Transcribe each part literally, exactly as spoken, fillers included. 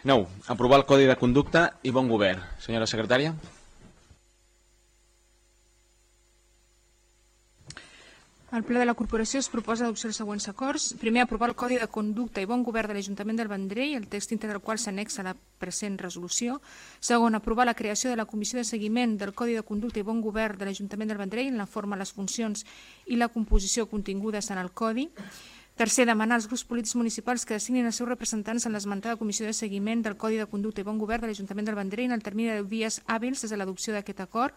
nou. Aprovar el Codi de Conducta i Bon Govern. Senyora secretària. Al ple de la Corporació es proposa adopció dels següents acords. Primer, aprovar el Codi de Conducta i Bon Govern de l'Ajuntament del Vendrell, el text íntegre del qual s'annexa a la present resolució. Segon, aprovar la creació de la Comissió de Seguiment del Codi de Conducta i Bon Govern de l'Ajuntament del Vendrell en la forma, les funcions i la composició contingudes en el Codi. Tercer, demanar als grups polítics municipals que designin els seus representants en l'esmentada Comissió de Seguiment del Codi de Conducta i Bon Govern de l'Ajuntament del Vendrell en el termini de deu dies hàbils des de l'adopció d'aquest acord.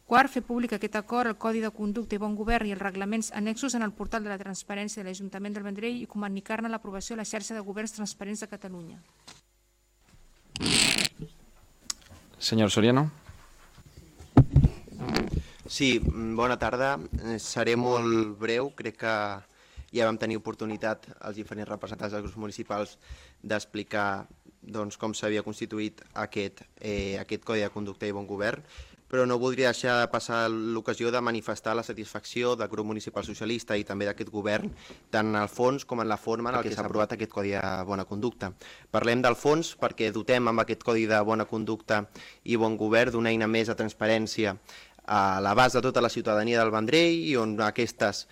Quart, fer públic aquest acord, el Codi de Conducta i Bon Govern i els reglaments annexos en el portal de la Transparència de l'Ajuntament del Vendrell i comunicar-ne l'aprovació a la xarxa de governs transparents de Catalunya. Senyor Soriano. Sí, bona tarda. Seré molt breu. Crec que ja vam tenir oportunitat els diferents representants dels grups municipals d'explicar doncs, com s'havia constituït aquest, eh, aquest Codi de Conducta i Bon Govern, però no voldria deixar de passar l'ocasió de manifestar la satisfacció del grup municipal socialista i també d'aquest govern, tant en el fons com en la forma en què s'ha aprovat aquest Codi de Bona Conducta. Parlem del fons perquè dotem amb aquest Codi de Bona Conducta i Bon Govern d'una eina més de transparència a l'abast de tota la ciutadania del Vendrell i on aquestes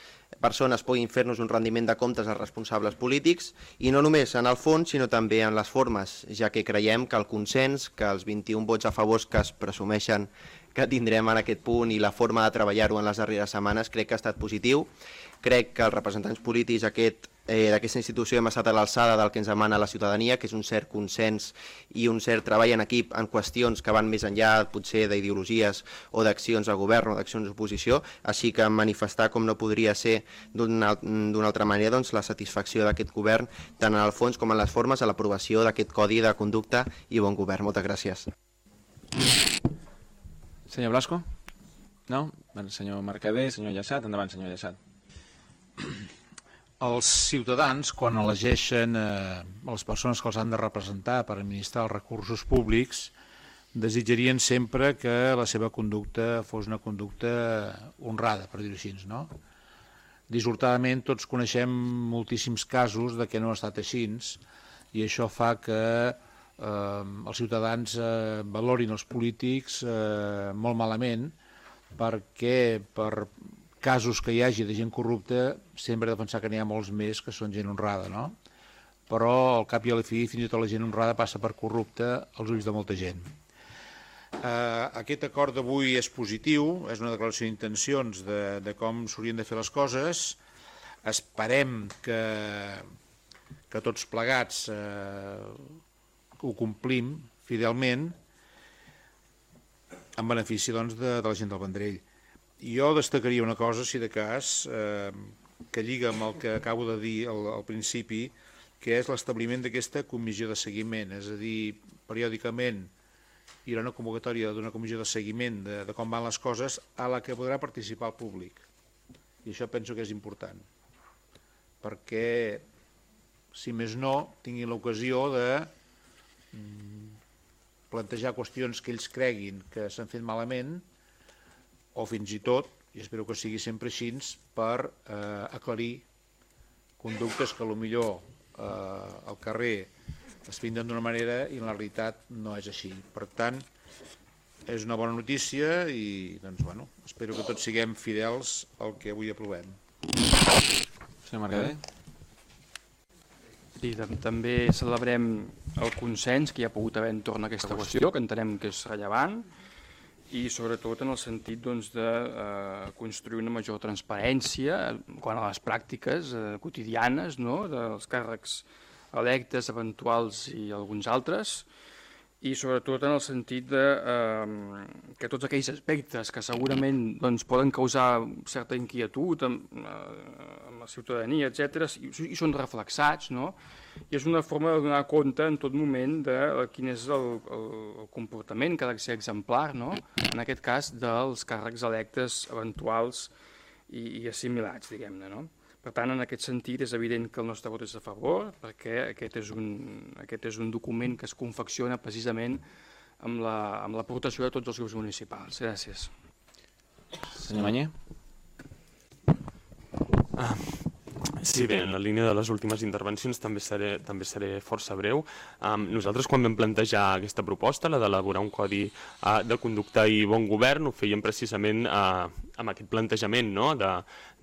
persones puguin fer-nos un rendiment de comptes als responsables polítics i no només en el fons sinó també en les formes, ja que creiem que el consens, que els vint-i-un vots a favor que es presumeixen que tindrem en aquest punt i la forma de treballar-ho en les darreres setmanes crec que ha estat positiu. Crec que els representants polítics aquest, eh, d'aquesta institució hem estat a l'alçada del que ens demana la ciutadania, que és un cert consens i un cert treball en equip en qüestions que van més enllà potser d'ideologies o d'accions de govern o d'accions d'oposició, així que manifestar com no podria ser d'una altra manera doncs, la satisfacció d'aquest govern tant en el fons com en les formes a l'aprovació d'aquest Codi de Conducta i Bon Govern. Moltes gràcies. Senyor Blasco? No? Senyor Mercader, senyor Llaçat. Endavant, senyor Llaçat. Els ciutadans, quan elegeixen eh, les persones que els han de representar per administrar els recursos públics, desitjarien sempre que la seva conducta fos una conducta honrada, per dir-ho així, no? Dissortadament tots coneixem moltíssims casos de que no ha estat així i això fa que Eh, els ciutadans eh, valorin els polítics eh, molt malament perquè per casos que hi hagi de gent corrupta sempre he de pensar que n'hi ha molts més que són gent honrada, no? Però al cap i a la fi fins i tot la gent honrada passa per corrupta als ulls de molta gent. Eh, aquest acord d'avui és positiu, és una declaració d'intencions de, de com s'haurien de fer les coses. Esperem que, que tots plegats eh, ho complim fidelment en benefici doncs, de, de la gent del Vendrell. Jo destacaria una cosa, si de cas, eh, que lliga amb el que acabo de dir al, al principi, que és l'establiment d'aquesta comissió de seguiment, és a dir, periòdicament hi haurà una convocatòria d'una comissió de seguiment de, de com van les coses a la que podrà participar el públic. I això penso que és important, perquè, si més no, tinguin l'ocasió de plantejar qüestions que ells creguin que s'han fet malament o fins i tot, i espero que sigui sempre així, per eh, aclarir conductes que potser eh, al carrer es finden d'una manera i en la realitat no és així. Per tant, és una bona notícia i doncs, bueno, espero que tots siguem fidels al que avui aprovem. Senyor Mercader. Sí, també celebrem el consens que hi ha pogut haver entorn a aquesta qüestió, que entenem que és rellevant, i sobretot en el sentit doncs, de eh, construir una major transparència quant a les pràctiques eh, quotidianes, no?, dels càrrecs electes, eventuals i alguns altres, i sobretot en el sentit de, eh, que tots aquells aspectes que segurament doncs, poden causar certa inquietud amb, eh, amb la ciutadania, etcètera, i, i són reflexats, no? I és una forma de donar compte en tot moment de quin és el, el, el comportament que ha de ser exemplar, no? En aquest cas dels càrrecs electes eventuals i, i assimilats, diguem-ne, no? Per tant, en aquest sentit, és evident que el nostre vot és a favor, perquè aquest és un, aquest és un document que es confecciona precisament amb l'aportació de tots els grups municipals. Gràcies. Senyor Mañé. Ah, Sí, bé, en la línia de les últimes intervencions també seré, també seré força breu. Um, nosaltres, quan vam plantejar aquesta proposta, la d'elaborar un codi uh, de conducta i bon govern, ho fèiem precisament uh, amb aquest plantejament, no? de,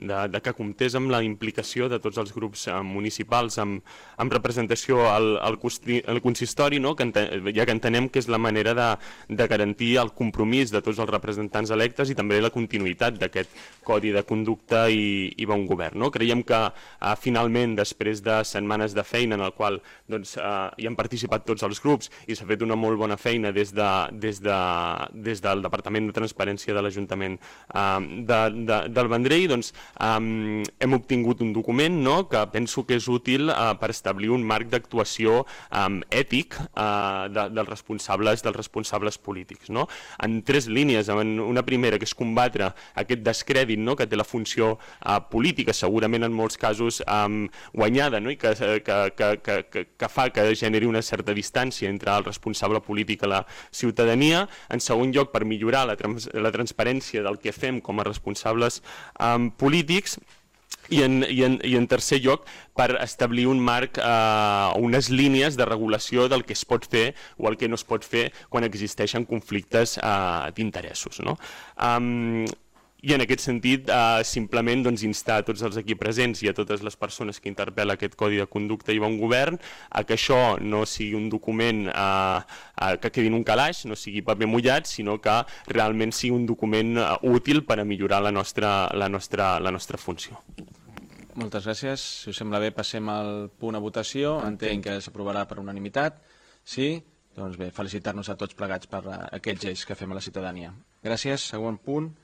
de, de que comptés amb la implicació de tots els grups uh, municipals amb, amb representació al, al, al consistori, no? que enten, ja que entenem que és la manera de, de garantir el compromís de tots els representants electes i també la continuïtat d'aquest codi de conducta i, i bon govern. No? Creiem que uh, finalment, després de setmanes de feina en el qual doncs, uh, hi han participat tots els grups i s'ha fet una molt bona feina des, de, des, de, des del Departament de Transparència de l'Ajuntament uh, de, de, del Vendrell, doncs, um, hem obtingut un document, no?, que penso que és útil uh, per establir un marc d'actuació um, ètic uh, de, dels responsables dels responsables polítics. No? En tres línies, en una primera que és combatre aquest descrèdit, no?, que té la funció uh, política, segurament en molts casos um, guanyada, no?, i que, que, que, que, que fa que generi una certa distància entre el responsable polític i la ciutadania. En segon lloc, per millorar la, trans la transparència del que fem com a responsables um, polítics. I en, i, en, I en tercer lloc, per establir un marc, eh, unes línies de regulació del que es pot fer o el que no es pot fer quan existeixen conflictes eh, d'interessos. No? Um, I en aquest sentit, eh, simplement doncs, instar a tots els aquí presents i a totes les persones que interpel·la aquest Codi de Conducta i Bon Govern a que això no sigui un document eh, eh, que quedi en un calaix, no sigui paper mullat, sinó que realment sigui un document eh, útil per a millorar la nostra, la nostra, la nostra funció. Moltes gràcies. Si us sembla bé, passem al punt a votació. Entenc que s'aprovarà per unanimitat. Sí? Doncs bé, felicitar-nos a tots plegats per aquests lleis que fem a la ciutadania. Gràcies. Següent punt.